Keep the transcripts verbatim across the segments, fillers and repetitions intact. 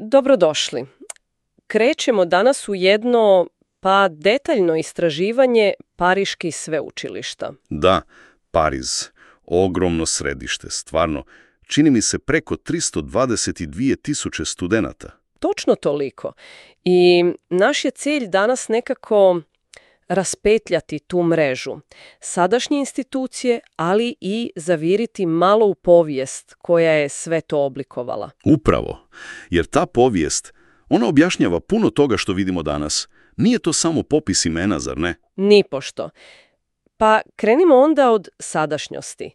Dobrodošli. Krećemo danas u jedno, pa detaljno istraživanje pariških sveučilišta. Da, Pariz. Ogromno središte, stvarno. Čini mi se preko tristo dvadeset dvije tisuće studenata. Točno toliko. I naš je cilj danas nekako raspetljati tu mrežu. Sadašnje institucije, ali i zaviriti malo u povijest koja je sve to oblikovala. Upravo. Jer ta povijest, ona objašnjava puno toga što vidimo danas. Nije to samo popis imena, zar ne? Nipošto. Pa krenimo onda od sadašnjosti.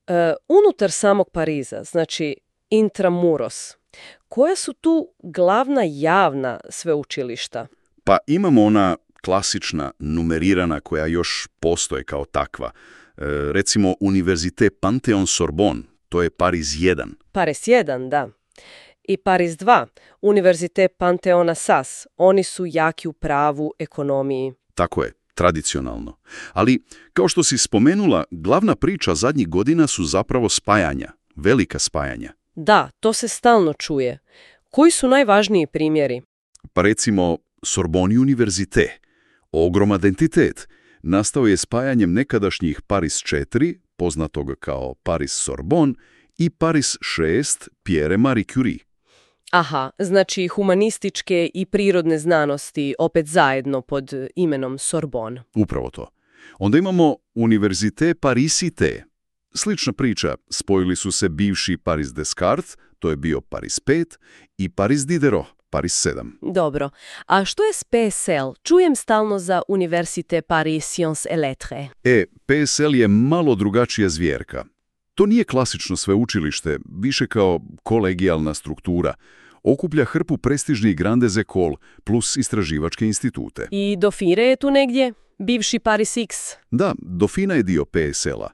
E, unutar samog Pariza, znači intramuros, koja su tu glavna javna sveučilišta? Pa imamo ona klasična, numerirana, koja još postoje kao takva. E, recimo Univerzite Pantheon-Sorbonne, to je Pariz jedan. Pariz jedan, da. I Pariz dva, Univerzite Pantheon-Assas, oni su jaki u pravu, ekonomiji. Tako je, tradicionalno. Ali, kao što si spomenula, glavna priča zadnjih godina su zapravo spajanja, velika spajanja. Da, to se stalno čuje. Koji su najvažniji primjeri? Pa recimo Sorbonne Univerzite, ogroman entitet, nastao je spajanjem nekadašnjih Pariz četiri, poznatog kao Pariz Sorbonne, i Pariz šest, Pierre Marie Curie. Aha, znači humanističke i prirodne znanosti opet zajedno pod imenom Sorbonne. Upravo to. Onda imamo Univerzite Paris-Cité. Slična priča, spojili su se bivši Pariz Descartes, to je bio Pariz pet, i Pariz Diderot, Pariz sedam. Dobro. A što je s P S L? Čujem stalno za Université Paris Sciences et Lettres. E, P S L je malo drugačija zvjerka. To nije klasično sveučilište, više kao kolegijalna struktura. Okuplja hrpu prestižnih grandes écoles plus istraživačke institute. I Dauphine je tu negdje? Bivši Paris X? Da, Dauphine je dio P S L-a.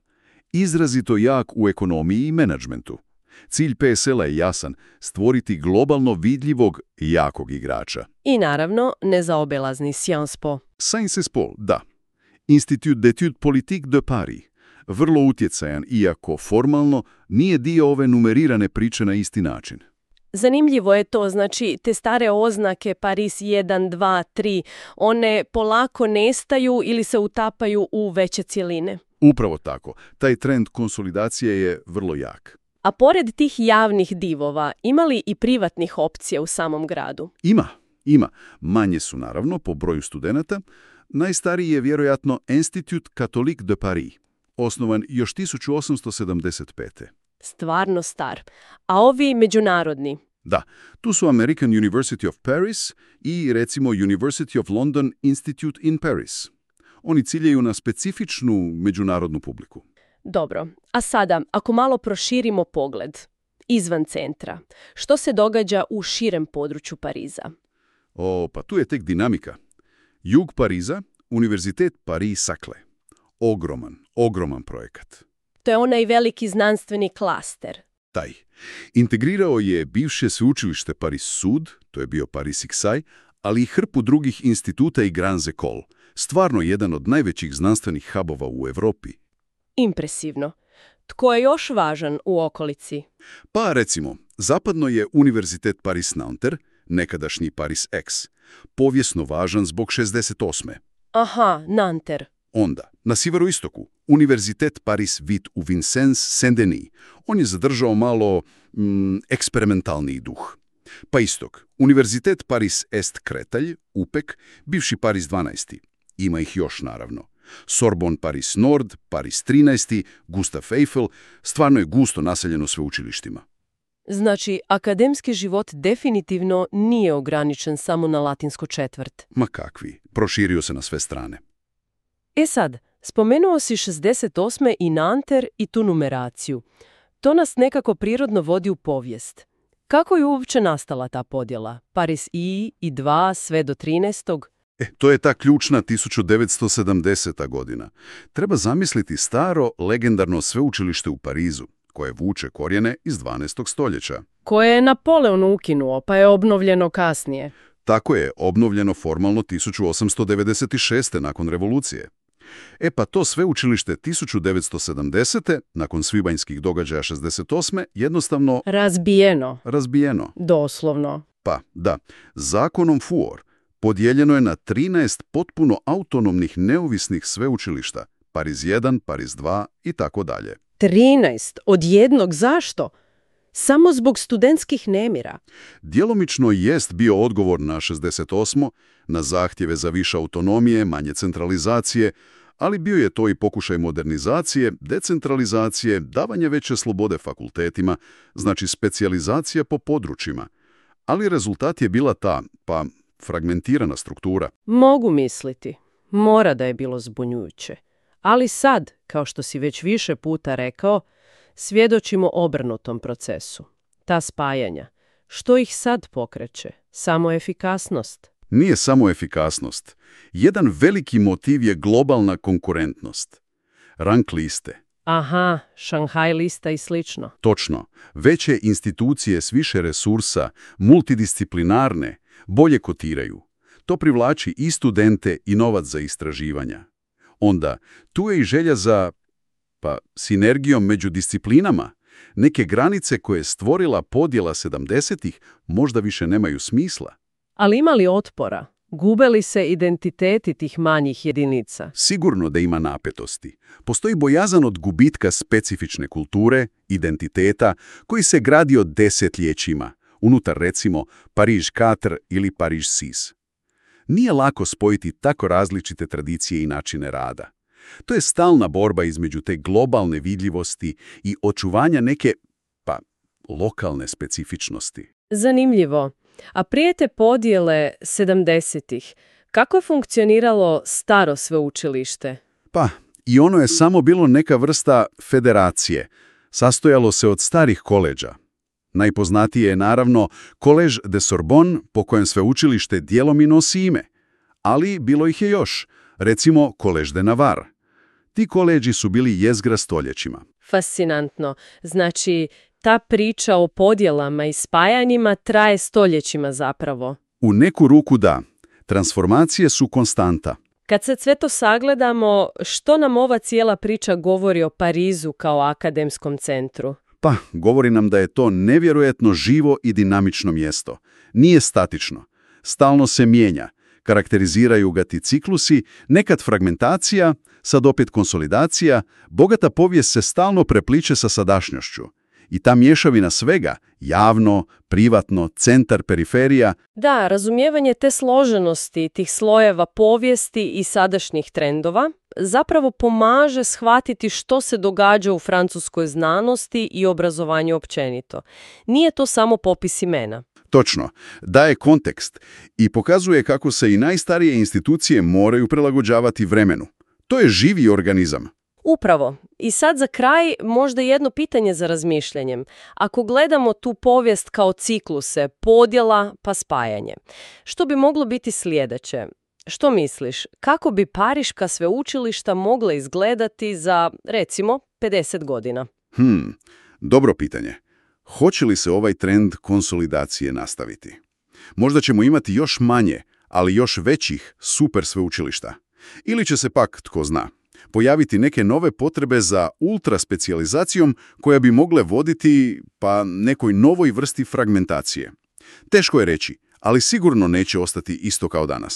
Izrazito jak u ekonomiji i menadžmentu. Cilj P S L-a je jasan, stvoriti globalno vidljivog, jakog igrača. I naravno, nezaobelazni Sciences Po. Sciences Po, da. Institut d'études politiques de Paris. Vrlo utjecajan, iako formalno nije dio ove numerirane priče na isti način. Zanimljivo je to, znači te stare oznake Pariz jedan, dva, tri, one polako nestaju ili se utapaju u veće cjeline. Upravo tako. Taj trend konsolidacije je vrlo jak. A pored tih javnih divova, ima li i privatnih opcija u samom gradu? Ima, ima. Manje su naravno po broju studenata. Najstariji je vjerojatno Institut Catholique de Paris, osnovan još tisuću osamsto sedamdeset pete. Stvarno star. A ovi međunarodni? Da, tu su American University of Paris i recimo University of London Institute in Paris. Oni ciljaju na specifičnu međunarodnu publiku. Dobro, a sada, ako malo proširimo pogled, izvan centra, što se događa u širem području Pariza? O, pa tu je tek dinamika. Jug Pariza, Univerzitet Paris-Saclay. Ogroman, ogroman projekat. To je onaj veliki znanstveni klaster. Taj. Integrirao je bivše sveučilište Paris Sud, to je bio Paris X I, ali i hrpu drugih instituta i grandes écoles. Stvarno jedan od najvećih znanstvenih hubova u Europi. Impresivno. Tko je još važan u okolici? Pa recimo, zapadno je Univerzitet Paris-Nanterre, nekadašnji Paris X, povijesno važan zbog šezdeset osme. Aha, Nanterre. Onda, na sjeveroistoku, Univerzitet Paris huit u Vincennes-Saint-Denis. On je zadržao malo mm, eksperimentalni duh. Pa istok, Univerzitet Paris Est-Créteil, U P E C, bivši Paris dvanaest. Ima ih još, naravno. Sorbonne Paris Nord, Paris trinaest, Gustav Eiffel, stvarno je gusto naseljeno sveučilištima. Znači, akademski život definitivno nije ograničen samo na latinsku četvrt. Ma kakvi, proširio se na sve strane. E sad, spomenuo si šezdeset osme i Nanterre i tu numeraciju. To nas nekako prirodno vodi u povijest. Kako je uopće nastala ta podjela? Paris I i dva sve do trinaestog. E, to je ta ključna tisuću devetsto sedamdeseta godina. Treba zamisliti staro, legendarno sveučilište u Parizu, koje vuče korijene iz dvanaestog stoljeća. Koje je Napoleon ukinuo, pa je obnovljeno kasnije. Tako je, obnovljeno formalno tisuću osamsto devedeset šeste nakon revolucije. E pa to sveučilište tisuću devetsto sedamdesete, nakon svibanjskih događaja šezdeset osme, jednostavno Razbijeno. razbijeno. Doslovno. Pa, da, zakonom Fuor podijeljeno je na trinaest potpuno autonomnih neovisnih sveučilišta, Pariz jedan, Pariz dva i tako dalje. trinaest od jednog, zašto? Samo zbog studentskih nemira. Djelomično jest bio odgovor na šezdeset osmo, na zahtjeve za više autonomije, manje centralizacije, ali bio je to i pokušaj modernizacije, decentralizacije, davanje veće slobode fakultetima, znači specijalizacija po područjima. Ali rezultat je bila ta, pa fragmentirana struktura. Mogu misliti. Mora da je bilo zbunjujuće. Ali sad, kao što si već više puta rekao, svjedočimo obrnutom procesu. Ta spajanja. Što ih sad pokreće? Samo efikasnost? Nije samo efikasnost. Jedan veliki motiv je globalna konkurentnost. Rank liste. Aha, Šanghaj lista i slično. Točno. Veće institucije s više resursa, multidisciplinarne, bolje kotiraju. To privlači i studente i novac za istraživanja. Onda, tu je i želja za, pa, sinergijom među disciplinama. Neke granice koje je stvorila podjela sedamdesetih možda više nemaju smisla. Ali ima li otpora? Gube li se identiteti tih manjih jedinica? Sigurno da ima napetosti. Postoji bojazan od gubitka specifične kulture, identiteta, koji se gradio desetljećima, unutar recimo Pariž četiri ili Pariž šest. Nije lako spojiti tako različite tradicije i načine rada. To je stalna borba između te globalne vidljivosti i očuvanja neke, pa, lokalne specifičnosti. Zanimljivo. A prije te podjele sedamdesetih, kako je funkcioniralo staro sveučilište? Pa, i ono je samo bilo neka vrsta federacije. Sastojalo se od starih koleđa. Najpoznatije je naravno Collège de Sorbonne, po kojem sveučilište dijelom i nosi ime. Ali bilo ih je još, recimo Collège de Navarre. Ti koleđi su bili jezgra stoljećima. Fascinantno. Znači, ta priča o podjelama i spajanjima traje stoljećima zapravo. U neku ruku da. Transformacije su konstanta. Kad se sve to sagledamo, što nam ova cijela priča govori o Parizu kao akademskom centru? Pa, govori nam da je to nevjerojatno živo i dinamično mjesto. Nije statično. Stalno se mijenja. Karakteriziraju ga ti ciklusi, nekad fragmentacija, sad opet konsolidacija, bogata povijest se stalno prepliče sa sadašnjošću. I ta mješavina svega, javno, privatno, centar, periferija. Da, razumijevanje te složenosti, tih slojeva povijesti i sadašnjih trendova zapravo pomaže shvatiti što se događa u francuskoj znanosti i obrazovanju općenito. Nije to samo popis imena. Točno, daje kontekst i pokazuje kako se i najstarije institucije moraju prilagođavati vremenu. To je živi organizam. Upravo. I sad za kraj možda jedno pitanje za razmišljanjem. Ako gledamo tu povijest kao cikluse, podjela pa spajanje, što bi moglo biti sljedeće? Što misliš, kako bi pariška sveučilišta mogla izgledati za, recimo, pedeset godina? Hmm, dobro pitanje. Hoće li se ovaj trend konsolidacije nastaviti? Možda ćemo imati još manje, ali još većih super sveučilišta. Ili će se pak, tko zna, pojaviti neke nove potrebe za ultraspecijalizacijom koja bi mogle voditi pa nekoj novoj vrsti fragmentacije. Teško je reći, ali sigurno neće ostati isto kao danas.